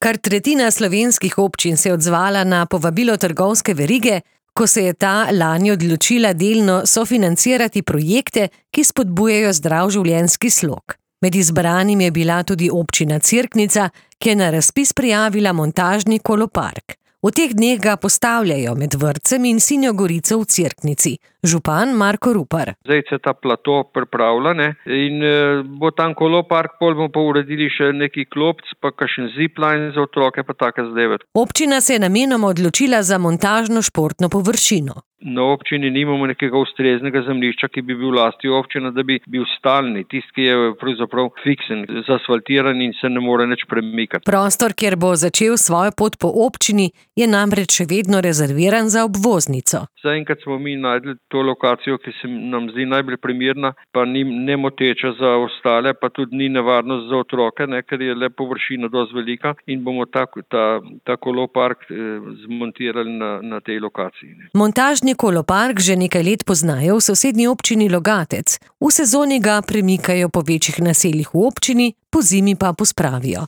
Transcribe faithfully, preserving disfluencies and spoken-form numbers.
Kar tretjina slovenskih občin se je odzvala na povabilo trgovske verige, ko se je ta lani odločila delno sofinancirati projekte, ki spodbujajo zdrav življenjski slog. Med izbranimi je bila tudi občina Cerknica, ki je na razpis prijavila montažni kolopark. V teh dneh ga postavljajo med vrtcem in Sinjo Gorico v Cerknici. Župan Marko Rupar. Zdaj se ta plato pripravlja, ne, in e, bo tam kolopark, pol bomo pa uredili še neki klopc, pa kakšen zipline za otroke, pa take zadeve. Občina se je namenoma odločila za montažno športno površino. Na občini nimamo nekega ustreznega zemljišča, ki bi bil v lasti občina, da bi bil stalni, tisti, ki je pravzaprav fiksen, zasfaltiran in se ne more nič premikati. Prostor, kjer bo začel svojo pot po občini, je namreč še vedno rezerviran za obvoznico. Zaenkrat smo mi najdli to lokacijo, ki se nam zdi najbolj primerna, pa ni nemoteča za ostale, pa tudi ni nevarnost za otroke, ne, ker je le površina dosti velika in bomo ta, ta, ta kolopark eh, zmontirali na, na tej lokaciji. Ne. Montažni kolopark že nekaj let poznajo v sosednji občini Logatec. V sezoni ga premikajo po večjih naseljih v občini, pozimi pa pospravijo.